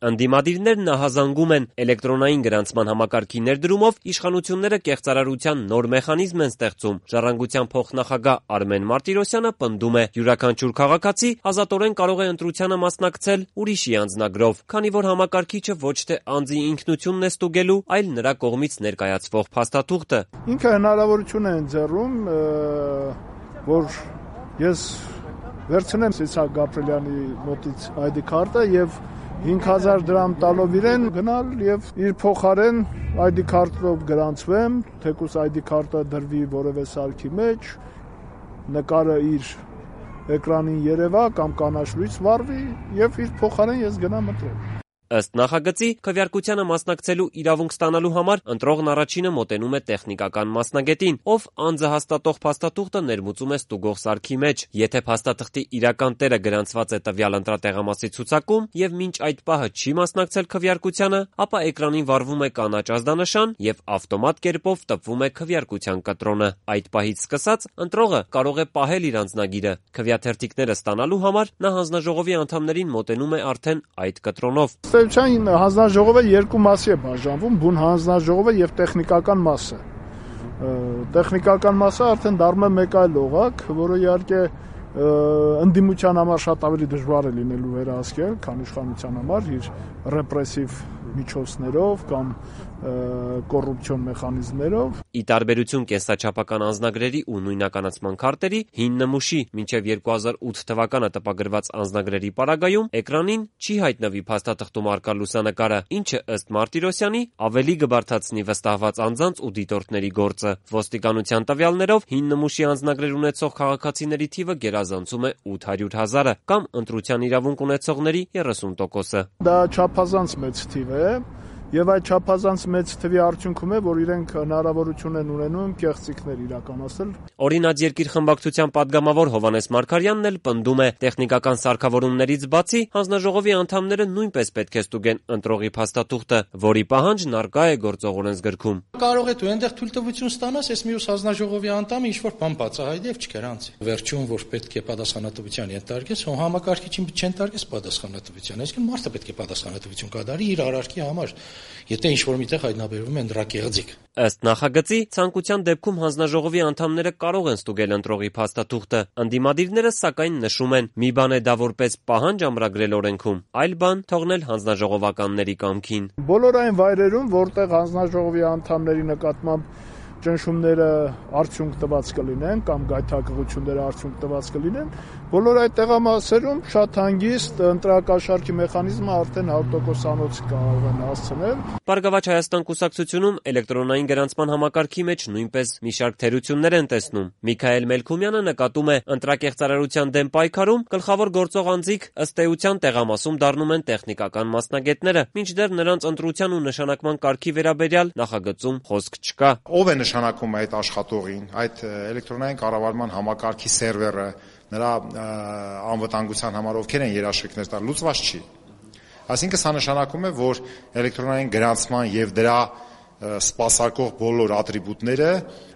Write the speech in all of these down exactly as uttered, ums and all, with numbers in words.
Ընդդիմադիրներն նահազանգում են էլեկտրոնային գրանցման համակարգի ներդրումով իշխանությունները կեղծարարության նոր մեխանիզմ են ստեղծում։ Ժառանգության փոխնախագահ Արմեն Մարտիրոսյանը պնդում է՝ յուրաքանչյուր քաղաքացի ազատորեն կարող է ընտրությանը մասնակցել ուրիշի անձնագրով, քանի որ համակարգիչը ոչ թե անձի ինքնությունն է ստուգելու, այլ նրա կողմից ներկայացվող փաստաթուղթը։ Ինքը հնարավորություն է ընձեռում, որ ես վերցնեմ Իսահակ Գաբրելյանի մոտից այ դի քարտը եւ հինգ հազար դրամ տալով իրեն գնալ եւ իր փոխարեն այ դի քարտով գրանցվեմ, թեկուզ այ դի քարտը դրվի որևէ սարքի մեջ, նկարը իր էկրանին երևա կամ կանաչ լույս վառվի եւ իր փոխարեն ես գնամ ընտրեմ։ Ըստ նախագծի, քվեարկությանը մասնակցելու իրավունք ստանալու համար ընտրողն առաջինը մոտենում է տեխնիկական մասնագետին, ով անձը հաստատող փաստաթուղթը ներմուծում է ստուգող սարքի մեջ։ Եթե փաստաթղթի իրական տերը գրանցված է տվյալ ընտրատեղամասի ցուցակում եւ մինչ այդ պահը չի մասնակցել քվեարկությանը, ապա էկրանին վառվում է կանաչ ազդանշան եւ ավտոմատ կերպով տպվում է քվեարկության կտրոնը։ Այդ պահից սկսած ընտրողը կարող է պահել իր անձնագիրը։ Քվեաթերթիկները ստանալու համար նա հանձնաժողովի անդամներին մոտենում է արդեն այդ կտրոնով։ Ըստ հանձնաժողովը երկու մասի է բաժանվում՝ բուն հանձնաժողովը եւ տեխնիկական մասը։ Տեխնիկական մասը արդեն դառնում է մեկ այլ օղակ, որը իհարկե ընդդիմության համար շատ ավելի դժվար է լինելու վերահսկել, քան իշխանության համար իր ռեպրեսիվ միջոցներով կամ կոռուպցիոն մեխանիզմներով։ Ի տարբերություն կենսաչափական անձնագրերի ու նույնականացման քարտերի, հին նմուշի մինչև երկու հազար ութ թվականը տպագրված անձնագրերի պարագայում էկրանին չի հայտնվի փաստաթղթում առկա լուսանկարը, ինչը ըստ Մարտիրոսյանի ավելի կբարդացնի վստահված անձանց ու դիտորդների գործը։ Ոստիկանության տվյալներով հին նմուշի անձնագրեր ունեցող քաղաքացիների թիվը գերազանցում է ութ հարյուր հազարը կամ ընտրության իրավունք ունեցողների երեսուն տոկոսը։ Դա չափազանց մեծ թիվ է։ Եվ այդ չափազանց մեծ թվի արդյունքում է, որ իրենք հնարավորություն են ունենում կեղծիքներ իրականացնել։ Օրինաց երկիր խմբակցության падգամավոր Հովհաննես Մարգարյանն էլ պնդում է, տեխնիկական սարքավորումներից բացի հանձնաժողովի անդամները նույնպես պետք է ստուգեն ընտրողի փաստաթուղթը, որի պահանջն առկա է գործող օրենսգրքում։ Կարող է դու այնտեղ թույլտվություն ստանաս, այս մյուս հանձնաժողովի անդամը ինչ-որ բան բացահայտի եւ չգրանցի։ Վերջում որ պետք է պատասխանատվության ենթարկես, հո համակարգիչին չեն տարգես պատասխանատվության, այսինքն մարդը պետք է պատասխանատվություն կատարի իր արարքի համար, եթե ինչ-որ միտեղ հայտնաբերվում է ընդրակեղծիք։ Ըստ նախագծի, ցանկության դեպքում հանձնաժողովի անդամները կարող են ստուգել ընտրողի փաստաթուղթը։ Ընդդիմադիրները սակայն նշում են՝ մի բան է դա որպես պահանջ ամրագրել օրենքում, այլ բան թողնել հանձնաժողովականների կամքին։ Բոլոր այն վայրերում, որտեղ հանձնաժողովի անդամների նկատմամբ ճնշումները արդյունք տված կլինեն կամ գայթակղությունները արդյունք տված կլինեն, բոլոր այդ տեղամասերում շատ հանգիստ ընտրակաշառքի մեխանիզմը արդեն հարյուր տոկոսանոց կարող են հասցնել։ Բարգավաճ Հայաստան կուսակցությունում էլեկտրոնային գրանցման համակարգի մեջ նույնպես մի շարք թերություններ են տեսնում։ Միքայել Մելքումյանը նկատում է, ընտրակեղծարարության դեմ պայքարում գլխավոր գործող անձիկ ըստ էության տեղամասում դառնում են տեխնիկական մասնագետները, մինչդեռ նրանց ընտրության ու նշանակման կարգի վերաբերյալ նախագծում խոսք չկա։ Ով է նշանակում այդ աշխատողին, այդ էլեկտրոնային կառավարման համակարգի սերվերը, նրա անվտանգության համար ովքեր են երաշխիքներ տալ, լուծված չի։ Այսինքն սա նշանակում է, որ էլեկտրոնային գրանցման եւ դրա սպասարկող բոլոր ատրիբուտները,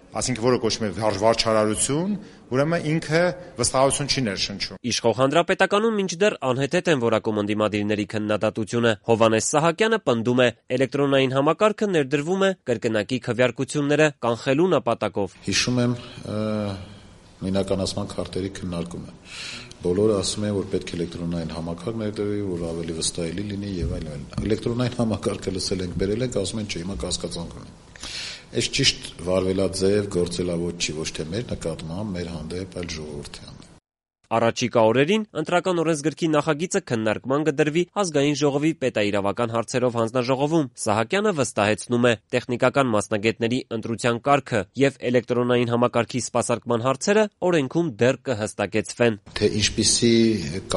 այսինքն որը կոչվում է վարչարարություն, ուրեմն ինքը վստահություն չի ներշնչում։ Իշխող հանրապետականում մինչդեռ անհեթեթ են որակում ընդդիմադիրների քննադատությունը։ Հովհաննես Սահակյանը պնդում է, էլեկտրոնային համակարգը ներդրվում է կրկնակի քվեարկությունները կանխելու նպատակով։ Հիշում եմ նույնականացման քարտերի քննարկումը։ Բոլորը ասում են, որ պետք է էլեկտրոնային համակարգ ներդրվի, որ ավելի վստահելի լինի եւ այլն։ Էլեկտրոնային համակարգը լսել ենք, բերել ենք, ասում են, չէ, հիմա կասկածանք ունի։ Այս ճիշտ վարվելաձև գործելավոճ չի, ոչ թե մեր նկատմամբ, մեր հանդեպ, այլ ժողովրդի հանդեպ։ Առաջիկա օրերին ընտրական օրենսգրքի նախագիծը քննարկման կդրվի Ազգային ժողովի պետաիրավական հարցերով հանձնաժողովում։ Սահակյանը վստահեցնում է, տեխնիկական մասնագետների ընտրության կարգը եւ էլեկտրոնային համակարգի սպասարկման հարցերը օրենքում դեռ կհստակեցվեն։ Թե ինչպիսի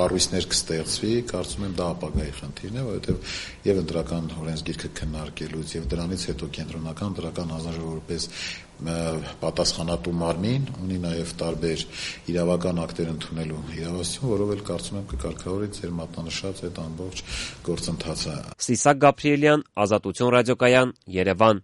կառույցներ կստեղծվի, կարծում եմ դա ապագայի խնդիրն է, որովհետեւ եւ ընտրական օրենսգիրքը քննարկելուց եւ դրանից հետո կենտրոնական ընտրական հանձնաժողովը որպես պատասխանատու մարմին ունի նաև տարբեր իրավական ակտեր ընդունելու իրավասություն, որով էլ կարծում եմ կկարգավորի ձեր մատնանշած այդ ամբողջ գործընթացը։ Սիսակ Գաբրիելյան, Ազատություն ռադիոկայան, Երևան։